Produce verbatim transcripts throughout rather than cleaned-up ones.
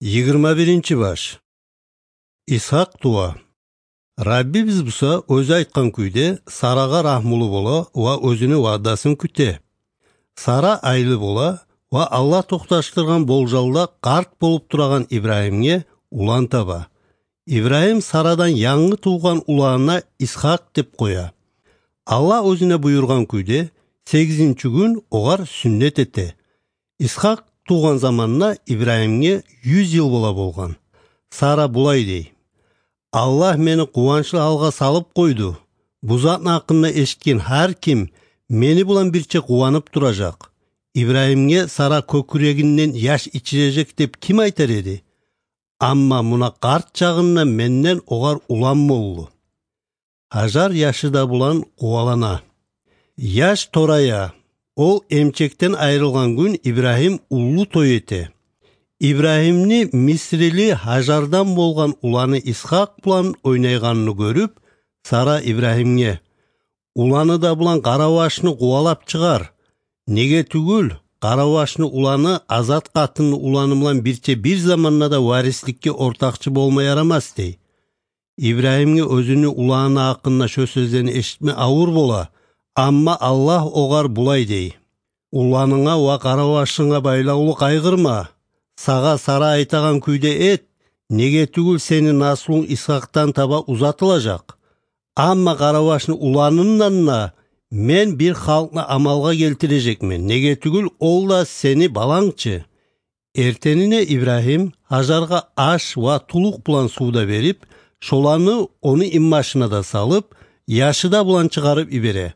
Йигирма биринчи баш. Исгьакъ тува. Раббибиз буса оьзю айтгъан кюйде Сарагъа рагьмулу бола ва оьзюню ваъдасын кюте. Сара айлы бола ва Аллагь токъташдыргъан болжалда къарт болуп турагъан Ибрагьимге улан таба. Ибрагьим Сарадан янгы тувгъан уланына Исгьакъ деп къоя. Аллагь оьзюне буюргъан кюйде, сегизинчи гюн огъар сюннет эте. Исгьакъ тувгъан заманда Ибрагьимге юз йыл бола болгъан. Сара булай дей: «Аллагь мени къуванчлы гьалгъа салып къойду. Бу затны гьакъында эшитген гьар ким мени булан бирче къуванып туражакъ. Ибрагьимге Сара кёкюрегинден яш ичирежек деп ким айтар эди? Амма муна къарт чагъында менден огъар улан болду». Гьажар яшы да булан къувалана. Яш торая. Ол эмчекден айрылгъан гюн Ибрагьим уллу той эте. Ибрагьимни мисрили Гьажардан болгъан уланы Исгьакъ булан ойнайгъанны гёрюп, Сара Ибрагьимге: «Уланы да булан къаравашны къувалап чыгъар. Неге тюгюл, къаравашны уланы азат къатынны уланы булан бирче бир заманда да варисликге ортакъчы болма ярамас», — дей. Ибрагьимге оьзюню уланы гьакъында шо сёзлени эшитме авур бола, амма Аллагь огъар булай дей: «Уланынга ва къаравашынга байлавлу къайгъырма. Сагъа Сара айтагъан кюйде эт, неге тюгюл сени наслунг Исгьакъдан таба узатылажакъ. Амма къаравашны уланындан да мен бир халкъны амалгъа гелтирежекмен, неге тюгюл ол да сени баланг чы». Эртенине Ибрагьим Гьажаргъа аш ва тулукъ булан сув да берип, шоланы ону инбашына да салып, яшы да булан чыгъарып йибере.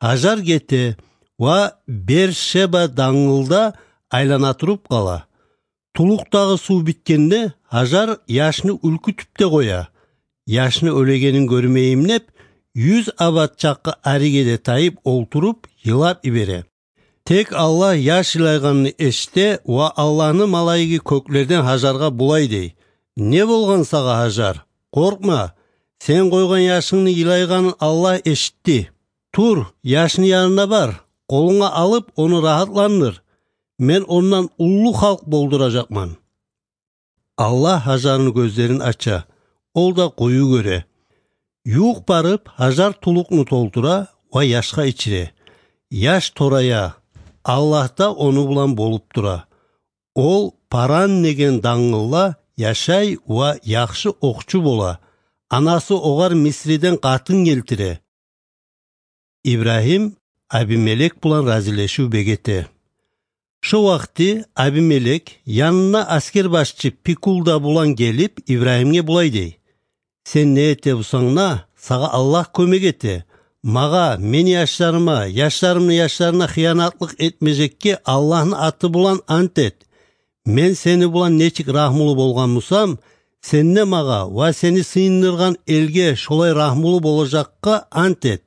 Гьажар гете ва Бершеба дангылда айлана туруп къала. Тулукъдагъы сув битгенде, Гьажар яшны уьлкютюп де къоя. Яшны оьлегенин гёрмейим деп, юз абат чакъы ариге де тайып олтуруп, йылап йибере. Тек Аллагь яш йылайгъанны эшите ва Аллагьны малайиги кёклерден Гьажаргъа булай дей: «Не болгъан сагъа, Гьажар? Къоркъма, сен къойгъан яшынгны йылайгъанын Аллагь эшитди. Тур, яшны янына бар, къолунга алып, ону рагьатландыр. Мен ондан уллу халкъ болдуражакъман». Аллагь Гьажарны гёзлерин ача, ол да къую гёре. Ювукъ барып, Гьажар тулукъну толтура ва яшгъа ичире. Яш торая, Аллагь да ону булан болуп тура. Ол Паран деген дангылда яшай ва яхшы окъчу бола. Анасы огъар Мисриден къатын гелтире. Ибрагьим Абимелек булан разилешив бегете. Шо вакъти Абимелек, янына аскербашчы Пикул да булан гелип, Ибрагьимге булай дей: «Сен не эте бусанг да, сагъа Аллагь кёмек эте. Магъа, мени яшларыма, яшларымны яшларына хыянатлыкъ этмежекге Аллагьны аты булан ант эт. Мен сени булан нечик рагьмулу болгъан бусам, сен де магъа ва сени сыйындыргъан элге шолай рагьмулу болажакъгъа ант эт».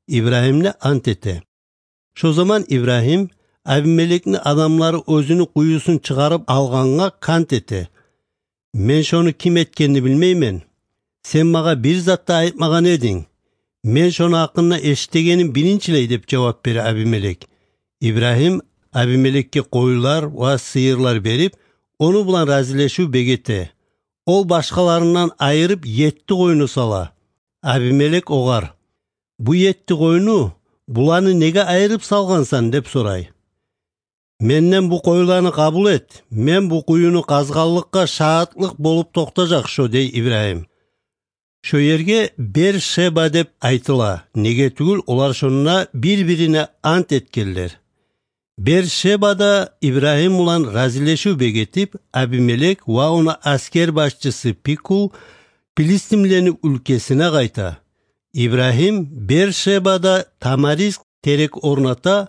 Ибрагьим де ант эте. Шо заман Ибрагьим Абимелекни адамлары оьзюню къуюсун чыгъарып алгъангъа кант эте: «Мен шону ким этгенни билмеймен. Сен магъа бир зат да айтмагъан эдинг. Мен шону гьакъында эшитегеним биринчилей», — деп жавап бере Абимелек. Ибрагьим Абимелекге къойлар ва сыйырлар берип, ону булан разилешив бегете. Ол башгъаларындан айырып етти къойну сала. Абимелек огъар: «Бу етти къойну, буланы неге айырып салгъансан?» — деп сорай. «Менден бу къойланы къабул эт, мен бу къуюну къазгъанлыкъгъа шагьатлыкъ болуп токътажакъ шо», — дей Ибрагьим. Шо ерге Бер-Шеба деп айтыла, неге тюгюл олар шонда бир-бирине ант этгенлер. Бер-Шебада Ибрагьим булан разилешив бегетип, Абимелек ва ону аскербашчысы Пикул пилистимлени уьлкесине къайта. Ибрагьим Бер-Шебада тамариск терек орната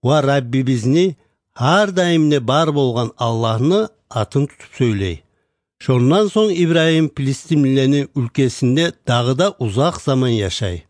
ва Раббибизни, гьар даимде бар болгъан Аллагьны атын тутуп сёйлей. Шондан сонг Ибрагьим пилистимлени уьлкесинде дагъы да узакъ заман яшай.